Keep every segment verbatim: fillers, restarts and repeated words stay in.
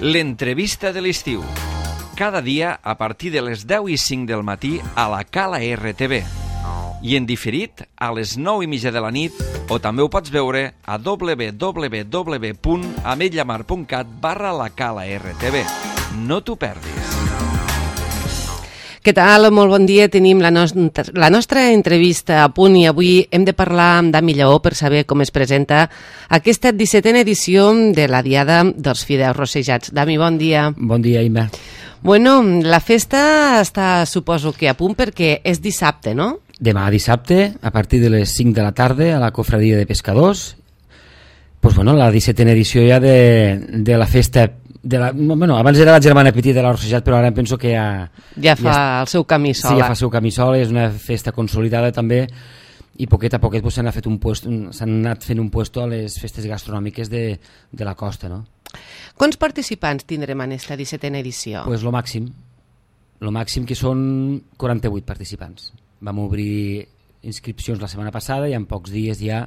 L'entrevista de l'estiu. Cada dia a partir de les deu i cinc del matí a la Cala R T V. I en diferit a les nou i mitja de la nit, o també ho pots veure a w w w punt ametlllamar punt cat barra la Cala R T V. No t'ho perdis. Què tal? Molt bon dia. Tenim la, nos la nostra entrevista a punt i avui hem de parlar amb Dami Lleó per saber com es presenta aquesta dissetena edició de la Diada dels Fideus Rossejats. Dami, bon dia. Bon dia, Imma. Bueno, la festa està, suposo que a punt perquè és dissabte, no? Demà dissabte, a partir de les cinc de la tarda, a la Cofradia de Pescadors. Pues bueno, la dissetena edició ja de, de la festa. De la, bueno, abans era la germana petita de l'Arc Rossejat, però ara em penso que ja... Ja fa ja el seu camí sola. Sí, ja fa el seu camí sola, és una festa consolidada també, i poquet a poquet pues, s'han fet un puesto, s'han anat fent un puesto a les festes gastronòmiques de, de la costa, no? Quants participants tindrem en aquesta dissetena edició? Pues lo màxim, lo màxim que són quaranta-vuit participants. Vam obrir inscripcions la setmana passada i en pocs dies ja...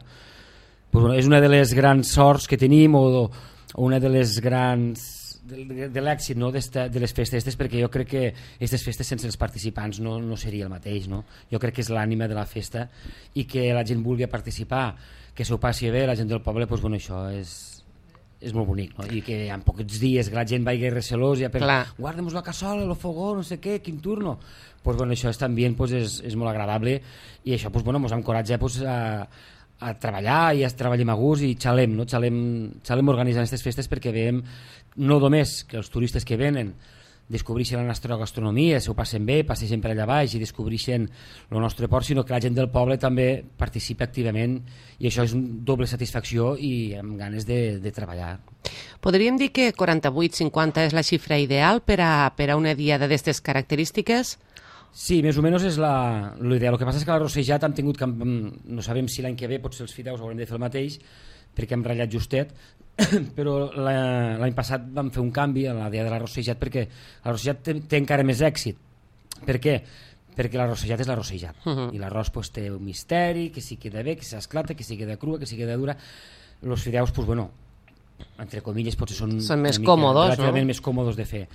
Pues, bueno, és una de les grans sorts que tenim o, o una de les grans... de, de l'èxit, no? de les festes estes, perquè jo crec que aquestes festes sense els participants no, no seria el mateix, no? Jo crec que és l'ànima de la festa i que la gent vulgui participar, que s'ho passi bé, la gent del poble, doncs, bueno, això és, és molt bonic, no? I que en pocs dies que la gent vagi recelós ja per guardem-nos la cassola, el fogó, no sé què, quin turno, pues, bueno, això és, també pues, és, és molt agradable i això pues, bueno, ens encoratja pues, a a treballar i a treballem a gust i xalem, no? xalem, xalem organitzant aquestes festes perquè veiem no només que els turistes que venen descobreixen la nostra gastronomia, s'ho passen bé, passegen per allà baix i descobreixen el nostre port, sinó que la gent del poble també participa activament i això és una doble satisfacció i amb ganes de, de treballar. Podríem dir que quaranta-vuit cinquanta és la xifra ideal per a, per a una diada d'aquestes característiques? Sí, més o menys és l'ideal. El que passa és que la Rossejat hem tingut, que, no sabem si l'any que ve potser els fideus haurem de fer el mateix, perquè hem ratllat justet, però l'any passat vam fer un canvi a la Diada de la Rossejat perquè la Rossejat té, té encara més èxit. Per què? Perquè la Rossejat és la Rossejat. Uh -huh. I l'arròs pues, té un misteri, que si queda bé, que s'esclata, que si queda crua, que si queda dura. Els fideus, pues, bueno, entre comilles, potser són, són més còmodos, relativament no? més còmodos de fer.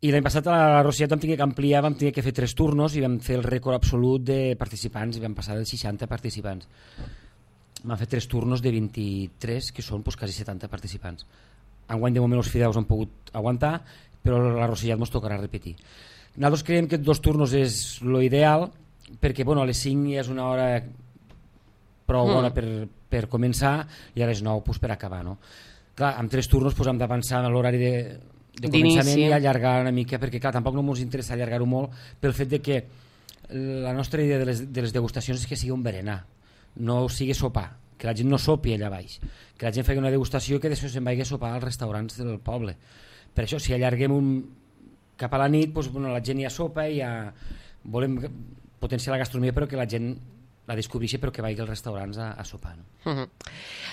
I l'any passat a la Rossejat vam tenir que ampliar, vam tenir que fer tres turnos i vam fer el rècord absolut de participants i vam passar dels seixanta participants. Vam fer tres turnos de vint-i-tres, que són pues, quasi setanta participants. Enguany de moment els fideus han pogut aguantar, però la Rossejat ens tocarà repetir. Nosaltres creiem que dos turnos és l'ideal, perquè bueno, a les cinc ja és una hora prou bona mm. per, per començar i a les nou pues, per acabar. No? Clar, amb tres turnos pues, hem de pensar en l'horari de de començament i allargar una mica, perquè clar, tampoc no ens interessa allargar-ho molt pel fet de que la nostra idea de les, de les degustacions és que sigui un berenar, no sigui sopar, que la gent no sopi allà baix, que la gent faci una degustació que després se'n vagi a sopar als restaurants del poble. Per això, si allarguem un... cap a la nit, doncs, bueno, la gent ja sopa i ja volem potenciar la gastronomia però que la gent la descobreixi però que vagi als restaurants a, a sopar. No? Uh -huh.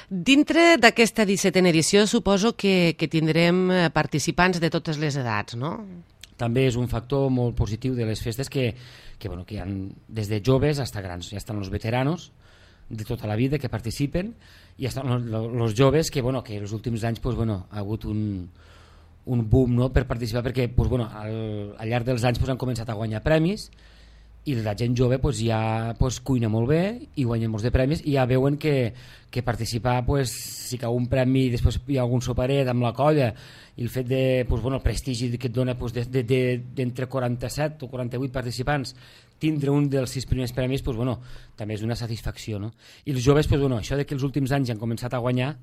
Dintre d'aquesta dissetena edició suposo que, que tindrem participants de totes les edats, no? També és un factor molt positiu de les festes que, que, bueno, que hi ha des de joves fins a grans. Ja estan els veteranos de tota la vida que participen i estan els joves que, bueno, que els últims anys pues, bueno, ha hagut un, un boom, no?, per participar perquè pues, bueno, al, al llarg dels anys pues, han començat a guanyar premis i la gent jove pues, ja pues, cuina molt bé i guanya molts de premis i ja veuen que, que participar pues, si cau un premi i després hi ha algun soparet amb la colla i el fet de, pues, bueno, el prestigi que et dona pues, d'entre de, de, de quaranta-set o quaranta-vuit participants tindre un dels sis primers premis pues, bueno, també és una satisfacció, no? I els joves, pues, bueno, això de que els últims anys han començat a guanyar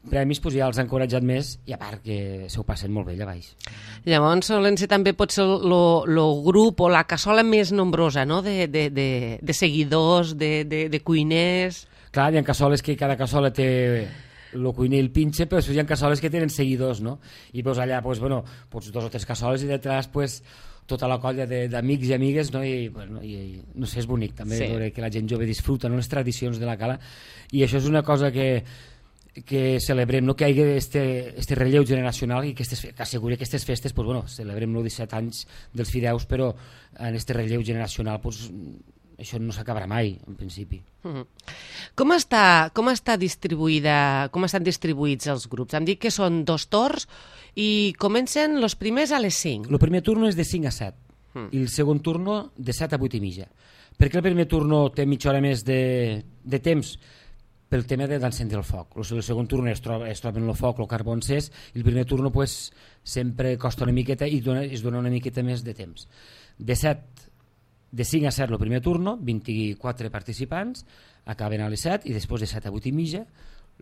premis pues, ja els ha encoratjat més i a part que s'ho passen molt bé allà baix. Llavors solen ser també potser el grup o la cassola més nombrosa, no?, de, de, de, de seguidors, de, de, de cuiners. Clar, hi ha cassoles que cada cassola té el cuiner i el pinche, però hi ha cassoles que tenen seguidors, no? I pues, allà pues, bueno, pues, dos o tres cassoles i detrás pues, tota la colla d'amics i amigues, no? I, bueno, i, i no sé, és bonic també sí. Veure que la gent jove disfruta, no?, les tradicions de la cala i això és una cosa que que celebrem, no?, que hi hagi este, este relleu generacional i que, estes, que asseguri que aquestes festes, pues, bueno, celebrem els disset anys dels fideus, però en este relleu generacional pues, això no s'acabarà mai, en principi. Uh-huh. Com està, com està distribuïda, com estan distribuïts els grups? Em dic que són dos torns i comencen els primers a les cinc. El primer turno és de cinc a set uh. i el segon turno de set a vuit i mitja. Per què el primer turno té mitja hora més de, de temps? Pel tema d'encendre el foc. El segon turno es troba, es troba en el foc, el carbó encès, i el primer turno pues, sempre costa una miqueta i dona, es dona una miqueta més de temps. De, set, de cinc a set el primer turno, vint-i-quatre participants, acaben a les set i després de set a vuit i mitja,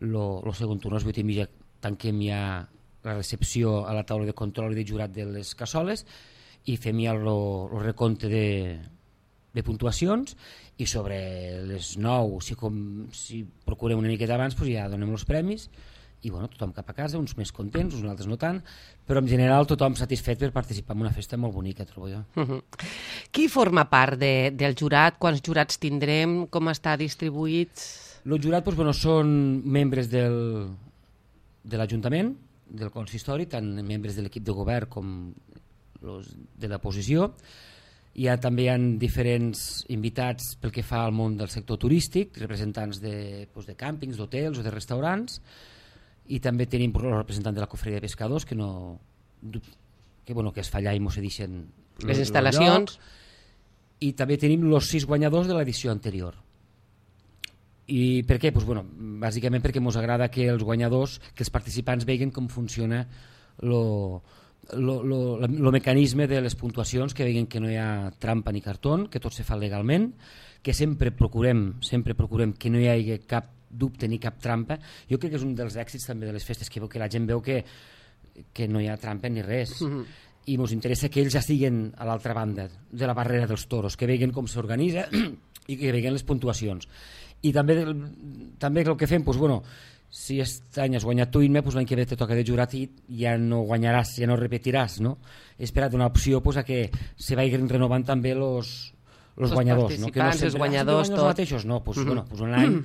el segon turno a les vuit i mitja tanquem ja la recepció a la taula de control i de jurat de les cassoles i fem ja el recompte de, de puntuacions i sobre les nou, si, com, si procurem una miqueta abans, pues ja donem els premis i bueno, tothom cap a casa, uns més contents, uns altres no tant, però en general tothom satisfet per participar en una festa molt bonica, trobo jo. Uh-huh. Qui forma part de, del jurat? Quants jurats tindrem? Com està distribuïts? El jurat pues, bueno, són membres del, de l'Ajuntament, del consistori, tant membres de l'equip de govern com los de l'oposició. Hi ha, també hi ha diferents invitats pel que fa al món del sector turístic, representants de, doncs, de càmpings, d'hotels o de restaurants, i també tenim el representant de la cofreria de pescadors que, no, que, bueno, que es fa allà i mos cedixen les instal·lacions. I també tenim els sis guanyadors de l'edició anterior. I per què? Pues, bueno, bàsicament perquè ens agrada que els guanyadors, que els participants vegin com funciona lo el mecanisme de les puntuacions, que veuen que no hi ha trampa ni cartó, que tot se fa legalment, que sempre procurem, sempre procurem que no hi hagi cap dubte ni cap trampa. Jo crec que és un dels èxits també de les festes, que, que la gent veu que, que no hi ha trampa ni res. Mm-hmm. I ens interessa que ells ja estiguin a l'altra banda de la barrera dels toros, que vegin com s'organitza i que vegin les puntuacions. I també, també el que fem, doncs, bueno, si aquest any has guanyat tu, pues l'any que ve te toca de jurat i ja no guanyaràs, ja no repetiràs, no? He esperat una opció pues, a que se vagin renovant també els guanyadors, no? Que no sempre, els guanyadors, tot. Els mateixos, no, pues, mm-hmm. bueno, pues un any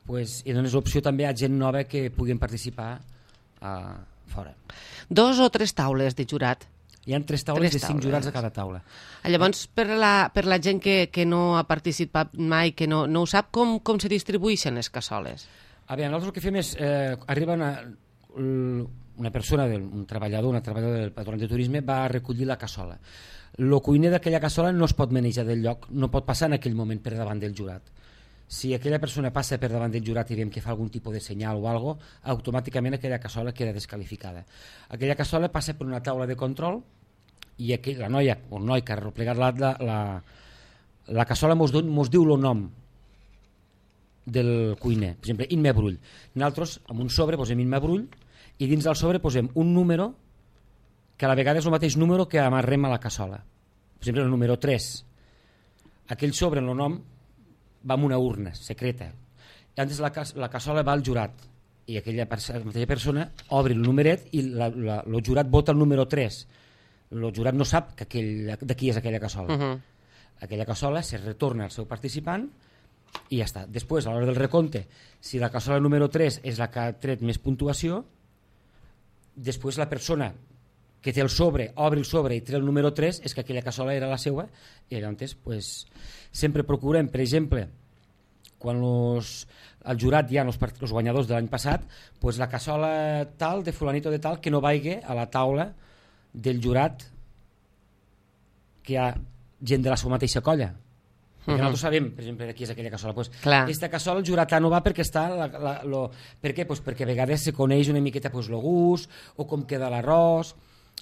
pues, i dones l'opció també a gent nova que puguin participar a fora. Dos o tres taules de jurat? Hi ha tres taules tres de cinc taules. Jurats a cada taula. Llavors, per la, per la gent que, que no ha participat mai, que no, no ho sap, com, com se distribueixen les cassoles? A veure, nosaltres el que fem és, eh, arriba una, una persona, un treballador, una treballadora del patronat de turisme, va a recollir la cassola. El cuiner d'aquella cassola no es pot manejar del lloc, no pot passar en aquell moment per davant del jurat. Si aquella persona passa per davant del jurat i veiem que fa algun tipus de senyal o algo, automàticament aquella cassola queda descalificada. Aquella cassola passa per una taula de control i aquell, la noia o el noi que ha replegat la, la, la, la cassola mos, mos diu el nom del cuiner, per exemple, Imma Brull. Nosaltres, amb un sobre, posem Imma Brull i dins del sobre posem un número que a la vegada és el mateix número que amarrem a la cassola. Per exemple, el número tres. Aquell sobre, en el nom, va en una urna secreta. I antes la, la cassola va al jurat i aquella la mateixa persona obre el numeret i la, la, el jurat vota el número tres. El jurat no sap que aquell, de qui és aquella cassola. Uh-huh. Aquella cassola se retorna al seu participant i ja està. Després, a l'hora del recompte, si la cassola número tres és la que ha tret més puntuació, després la persona que té el sobre, obre el sobre i tret el número tres, és que aquella cassola era la seva, i llavors pues, sempre procurem, per exemple, quan los, el jurat hi ha els, els guanyadors de l'any passat, pues la cassola tal, de fulanito de tal, que no vagi a la taula del jurat que hi ha gent de la seva mateixa colla. Perquè uh-huh. nosaltres sabem, per exemple, de qui és aquella cassola. Pues, aquesta cassola el jurat no va perquè està... La, la, lo, per què? Pues perquè a vegades se coneix una miqueta pues, el gust o com queda l'arròs.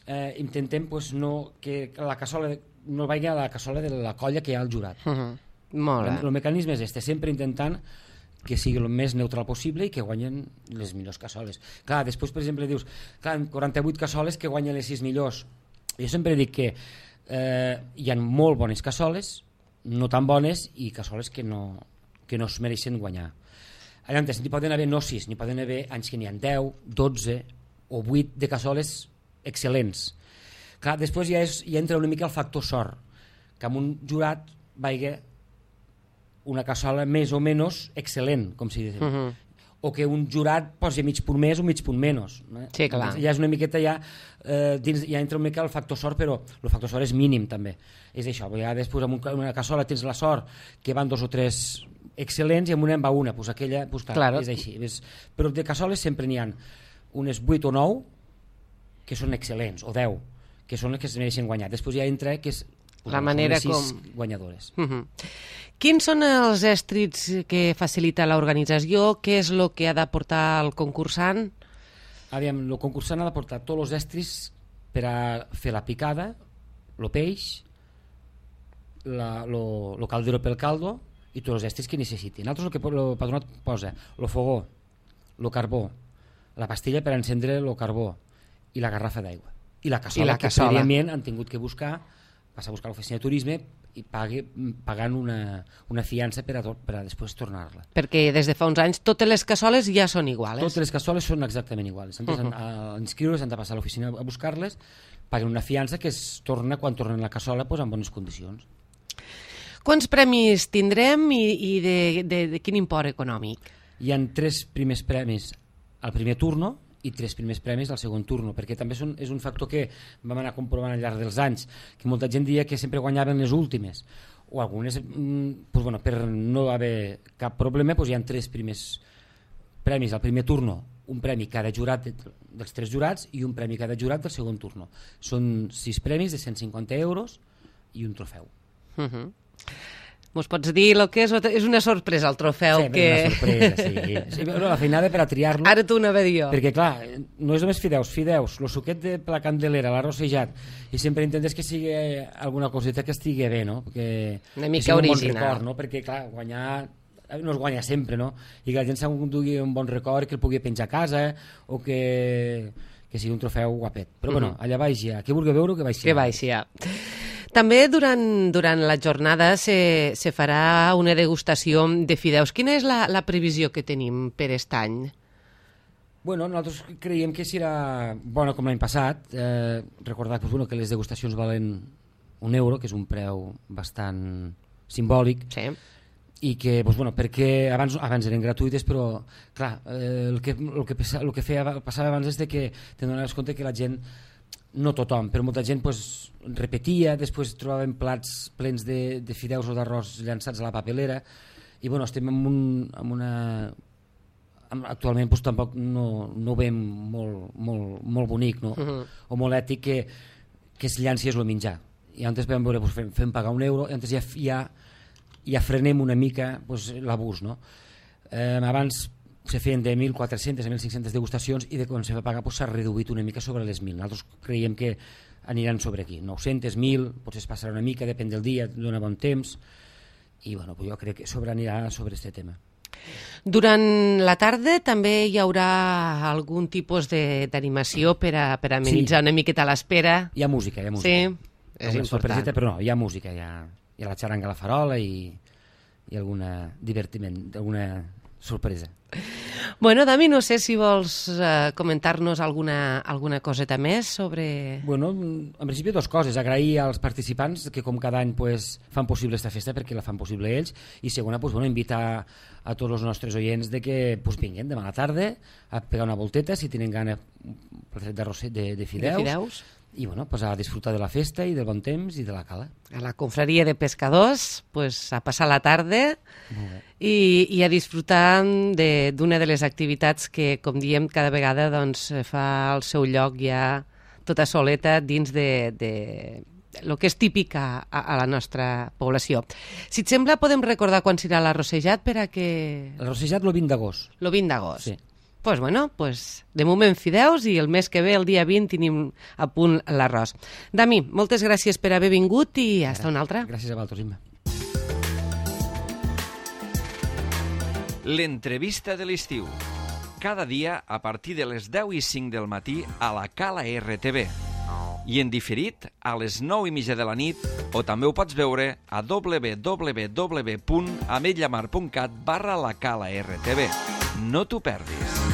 Eh, intentem pues, no, que la cassola no vagi a la cassola de la colla que hi ha al jurat. Uh-huh. Molt bé. El, el mecanisme és este, sempre intentant que sigui el més neutral possible i que guanyen les millors cassoles. Clar, després, per exemple, dius, clar, quaranta-vuit cassoles que guanyen les sis millors. Jo sempre dic que eh, hi ha molt bones cassoles, no tan bones i cassoles que no, que no es mereixen guanyar. Llavors, n'hi poden haver no sis, n'hi poden haver anys que n'hi ha deu, dotze o vuit de cassoles excel·lents. Clar, després ja, és, ja entra una mica el factor sort, que amb un jurat vagi una cassola més o menys excel·lent, com si diu. Uh-huh. o que un jurat posi mig punt més o mig punt menys. Eh? Sí, clar. Ja és una miqueta, ja, eh, dins, ja entra una mica el factor sort, però el factor sort és mínim també. És això, a vegades pues, en una cassola tens la sort que van dos o tres excel·lents i en una en va una, pues aquella, pues, clar, claro. És així. És, però de cassoles sempre n'hi ha unes vuit o nou que són excel·lents, o deu, que són les que es mereixen guanyar. Després ja entra que és pues, la manera sis com... guanyadores. Uh -huh. Quins són els èstrits que facilita l'organització? Què és el que ha de portar el concursant? Aviam, el concursant ha de portar tots els estris per a fer la picada, el peix, el caldero pel caldo i tots els estris que necessitin. Nosaltres el que el patronat posa, el fogó, el carbó, la pastilla per encendre el carbó i la garrafa d'aigua. I la cassola, I la cassola. que prèviament han tingut que buscar, passar a buscar a l'oficina de turisme i pague, pagant una, una fiança per a, per a després tornar-la. Perquè des de fa uns anys totes les cassoles ja són iguals. Totes les cassoles són exactament iguals. Antes, uh -huh. a, a inscriure's han de passar a l'oficina a buscar-les, paguen una fiança que es torna quan tornen la cassola pues, en bones condicions. Quants premis tindrem i, i de, de, de quin import econòmic? Hi ha tres primers premis al primer turno i tres primers premis al segon turno, perquè també és un, és un factor que vam anar comprovant al llarg dels anys, que molta gent dia que sempre guanyaven les últimes, o algunes, pues bueno, per no haver cap problema, pues hi ha tres primers premis al primer turno, un premi cada jurat dels tres jurats i un premi cada jurat del segon turno. Són sis premis de cent cinquanta euros i un trofeu. Uh -huh. Mos pots dir el que és? És una sorpresa el trofeu. Sí, que... una sorpresa, sí. sí la feinada per a triar-lo. Ara t'ho anava a dir jo. Perquè, clar, no és només fideus, fideus, el suquet de la candelera, l'arrossejat, i sempre intentes que sigui alguna coseta que estigui bé, no? Que, una mica que original. Un bon record, no? Perquè, clar, guanyar no es guanya sempre, no? I que la gent s'endugui un bon record, que el pugui penjar a casa, o que, que sigui un trofeu guapet. Però, mm-hmm. bueno, allà baix ja. Qui vulgui veure, que baix ja. Que baix ja. També durant, durant la jornada se, se farà una degustació de fideus. Quina és la, la previsió que tenim per aquest any? Bueno, nosaltres creiem que serà bona com l'any passat. Eh, recordar pues, bueno, que les degustacions valen un euro, que és un preu bastant simbòlic. Sí. I que, pues, bueno, perquè abans, abans eren gratuïtes, però clar, eh, el, que, el, que, el que feia, passava abans és de que te donaves compte que la gent, no tothom, però molta gent pues, repetia, després trobaven plats plens de, de fideus o d'arròs llançats a la papelera, i bueno, estem en, un, en una... actualment pues, tampoc no, no ho veiem molt, molt, molt bonic, no? Uh-huh. O molt ètic que, que es llanci és el menjar. I antes vam veure, pues, fem, fem pagar un euro, i antes ja, ja, ja frenem una mica pues, l'abús, no? Eh, abans se feien de mil quatre-centes a mil cinc-centes degustacions i de quan se va pagar s'ha pues, reduït una mica sobre les mil. Nosaltres creiem que aniran sobre aquí, nou-centes, mil, potser es passarà una mica, depèn del dia, dona bon temps, i bueno, pues jo crec que sobre anirà sobre aquest tema. Durant la tarda també hi haurà algun tipus d'animació per a, per a amenitzar sí. una miqueta a l'espera? Hi ha música, hi ha música. Sí, és una important. Però no, hi ha música, hi ha, hi ha la xaranga a la farola i, i alguna divertiment, alguna sorpresa. Bueno, Dami, no sé si vols uh, comentar-nos alguna, alguna coseta més sobre... Bueno, en principi dues coses. Agrair als participants que com cada any pues, fan possible aquesta festa perquè la fan possible ells, i segona, pues, bueno, invitar a tots els nostres oients de que pues, vinguin demà a la tarda a pegar una volteta si tenen gana de, de, de fideus, de fideus. I bueno, pues, a disfrutar de la festa i del bon temps i de la cala. A la confraria de pescadors, pues, a passar la tarda i, i a disfrutar d'una de, de les activitats que, com diem, cada vegada doncs, fa el seu lloc ja tota soleta dins de, de el que és típic a, a la nostra població. Si et sembla, podem recordar quan serà l'arrossejat per a que... L'arrossejat el vint d'agost. El vint d'agost. Sí. Pues bueno, pues de moment fideus i el mes que ve, el dia vint, tenim a punt l'arròs. Dami, moltes gràcies per haver vingut i hasta una altra. Gràcies a vosaltres, Imma. L'entrevista de l'estiu. Cada dia a partir de les deu i cinc del matí a la Cala R T V. I en diferit a les nou i mitja de la nit, o també ho pots veure a w w w punt ametlllamar punt cat barra la Cala R T V. No t'ho perdis.